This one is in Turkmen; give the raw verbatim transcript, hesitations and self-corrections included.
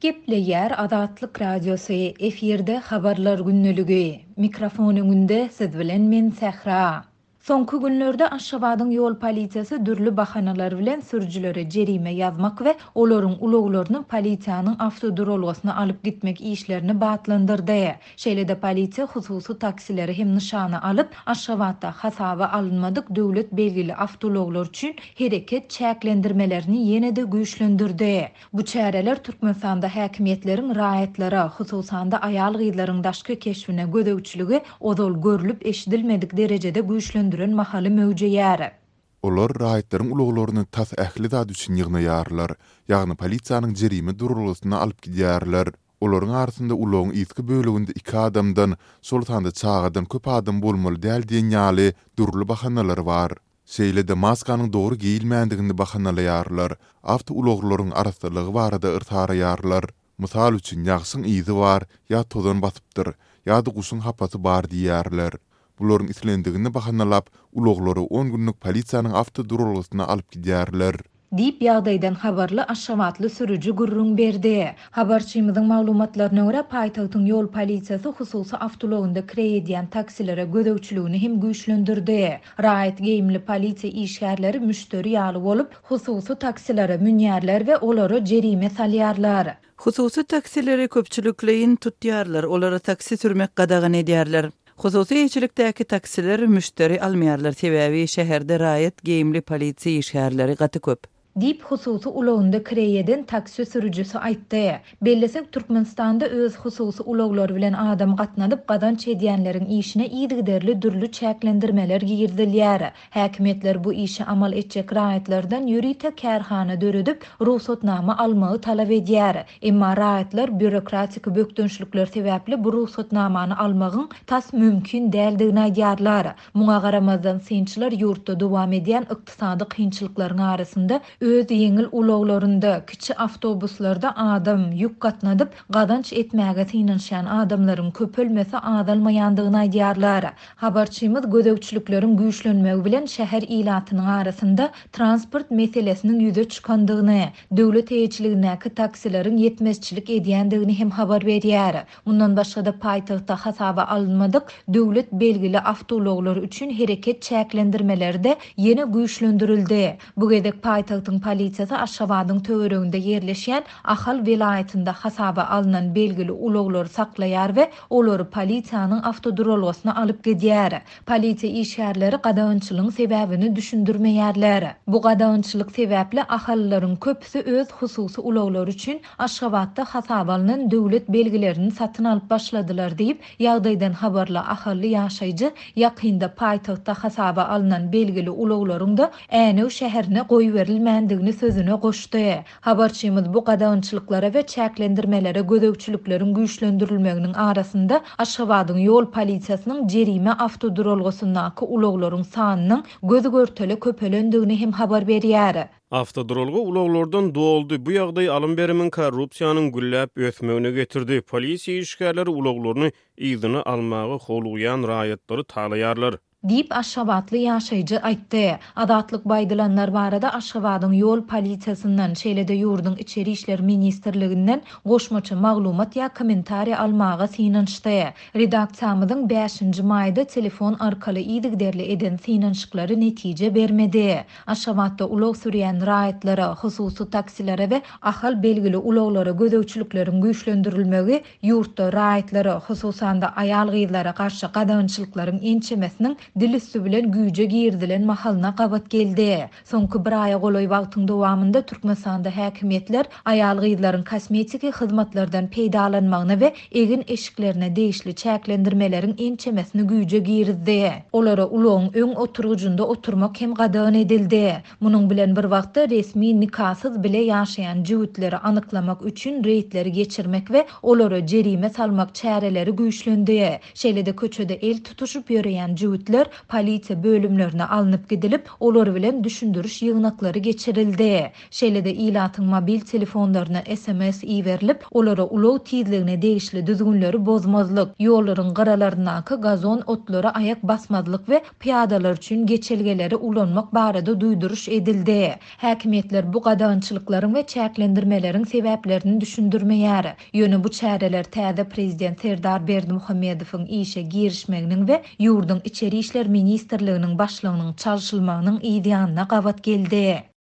Gepleýär Azatlyk Radiosy, efirde Habarlar gündeligi. Mikrofon öňünde siz bilen men Sähra. Soňky günlerde Aşgabadyň ýol polisiýasy dürli bahanalar bilen sürüjilere jerime ýazmak we olaryň ulaglaryny polisiýanyň awtoduralgasyna alyp gitmek işlerini batlandyrdy. Şeýle-de polisiýa hususy taksileri hem nyşana alyp, Aşgabatda hasaba alynmadyk döwlet belgili awtoulaglar üçin hereket çäklendirmelerini ýene-de güýçlendirdi. Bu çäreler Türkmenistanda häkimiýetleriň raýatlara, hususan-da aýal-gyzlaryň daşky keşbine gözegçiligi ozal görlüp-eşidilmedik derejede güýçlendiren mahaly möwjeýär. Olar raýatlaryň ulaglaryny tas ähli zat üçin ýygnaýarlar, ýagny polisiýanyň jerime duralgasyna alyp gidýärler. Olaryň arasynda ulagyň yzky böleginde iki adamdan, şol sanda çagadan köp adam bolmaly däl diýen ýaly dürli bahanalar bar. Şeýle-de maskanyň dogry geýilmändigini bahanalaýarlar, awtoulaglaryň arassalygy barada yrsaraýarlar. Mysal üçin, ýagşyň yzy bar, ýa tozan basypdyr, ýa-da guşuň hapasy bar diýýärler. Bularyň islendigini bahanalap, ulaglary on günlük polisiýanyň awtoduralgasyna alyp gidýärler. Diýip, ýagdaýdan habarly aşgabatly sürüji gürrüň berdi. Habarçymyzyň maglumatlaryna görä, paýtagtyň ýol polisiýasy hususy awtoulagynda kireý edýän taksilere gözegçiligini hem güýçlendirdi. Raýat geýimli polisiýa işgärleri müşderi ýaly bolup, hususy taksilere münýärler we olara jerime salýarlar. Hususy taksileri köpçülikleýin tutýarlar, olara taksi sürmek gadagan edýärler. Hususy eýeçilikdäki taksiler müşderi almaýarlar, sebäbi şäherde raýat geýimli polisiýa işgärleri gaty köp. Diýip, hususy ulagynda kireý eden taksi sürüjisi aýtdy. Bellesek, Türkmenistanda öz hususy ulaglary bilen adam gatnadyp gazanç edýänleriň işine yzygiderli dürli çäklendirmeler girizilýär. Häkimiýetler bu işi amal etjek raýatlardan ýörite kärhana döredip, rugsatnama almagy talap edýär. Emma raýatlar býurokratik bökdençlikler sebäpli bu rugsatnamany almagyň tas mümkin däldigini aýdýarlar. Muňa garamazdan synçylar ýurtda dowam edýän ykdysady kynçylyklaryň arasynda öz ýeňil ulaglarynda, kiçi awtobuslarda adam ýük gatnadyp gazanç etmäge synanyşýan adamlaryň köpelmesi azalmaýandygyny aýdýarlar. Habarçymyz gözegçilikleriň güýçlenmegi bilen şäher ilatynyň arasynda transport meselesiniň ýüze çykandygyny, döwlet eýeçiligindäki taksileriň ýetmezçilik edýändigini hem habar berýär. Mundan başga-da paýtagtda hasaba alynmadyk döwlet belgili awtoulaglar üçin hereket çäklendirmeleri-de ýene güýçlendirildi. Bu gezek paýtagtyň polisiýasy Aşgabadyň töwereginde ýerleşýän Ahal welaýatynda hasaba alnan belgili ulaglary saklaýar we olary polisiýanyň awtoduralgasyna alyp gidýär. Polisiýa işgärleri gadagançylygyň sebäbini düşündirmeýärler. Bu gadagançylyk sebäpli ahalylaryň köpüsi öz hususy ulaglary üçin Aşgabatda hasaba alnan döwlet belgilerini satyn alyp başladylar diýip, ýagdaýdan habarly ahally ýaşaýjy ýakynda paýtagtda hasaba alnan belgili ulaglaryň da Änew şäherine goýberilmändigini sözüne goşdy. Habarçymyz bu gadagançylyklara we çäklendirmelere gözegçilikleriň güýçlendirilmeginiň arasynda Aşgabadyň ýol polisiýasynyň jerime awtoduralgasyndaky ulaglaryň sanynyň göz görtele köpelendigini hem habar berýär. Awtoduralga ulaglardan doldy. Bu ýagdaý alym-berimiň korrupsiýanyň gülläp ösmegine getirdi. Polisiýa işgärleri ulaglaryny yzyna almaga howlugýan raýatlary talaýarlar. Diýip, aşgabatly ýaşaýjy aýtdy. Azatlyk bu aýdylanlar barada Aşgabadyň ýol polisiýasyndan, şeýle-de ýurduň Içeri işler ministrliginden goşmaça maglumat ýa kommentariý almaga synanyşdy. Redaksiýamyzyň bäşinji maýda telefon arkaly yzygiderli eden synanyşyklary netije bermedi. Aşgabatda ulag sürýän raýatlara, hususy taksilere we Ahal belgili ulaglara gözegçilikleriň güýçlendirilmegi ýurtda raýatlara, hususan-da aýal-gyzlara garşy gadagançylyklaryň ençemesiniň dil üsti bilen güýje girizilen mahalyna gabat geldi. Soňky bir aýa golaý wagtyň dowamynda Türkmenistanda häkimiýetler aýal-gyzlaryň kosmetiki hyzmatlardan peýdalanmagyna we egin eşiklerine degişli çäklendirmeleriň ençemesini güýje girizdi. Olara ulagyň öň oturgyjynda oturmak hem gadagan edildi. Munuň bilen bir wagtda resmi nikasyz bile ýaşaýan jübütleri anyklamak üçin reýdleri geçirmek we olara jerime salmak çäreleri güýçlendi. Şeýle-de köçede el tutuşyp ýöreýän jübütler ulaglar polisiýa bölümlerine alnyp gidilip, olar bilen düşündiriş ýygnaklary geçirildi. Şeýle-de, ilatyň mobil telefonlaryna sms iberilip, olara ulag tizligine degişli düzgünleri bozmazlyk, ýollaryň gyralaryndaky gazon otlara aýak basmazlyk we pyýadalar üçin geçelgeleri ulanmak barada duýduryş edildi. Häkimiýetler bu gadagançylyklaryň we çäklendirmeleriň sebäplerini düşündirmeýär. Ýöne bu çäreler täze prezident Serdar Berdimuhamedowyň işe girişmeginiň we ýurduň Içeri işler ministrliginiň başlygynyň çalşylmagynyň yzýanyna gabat geldi.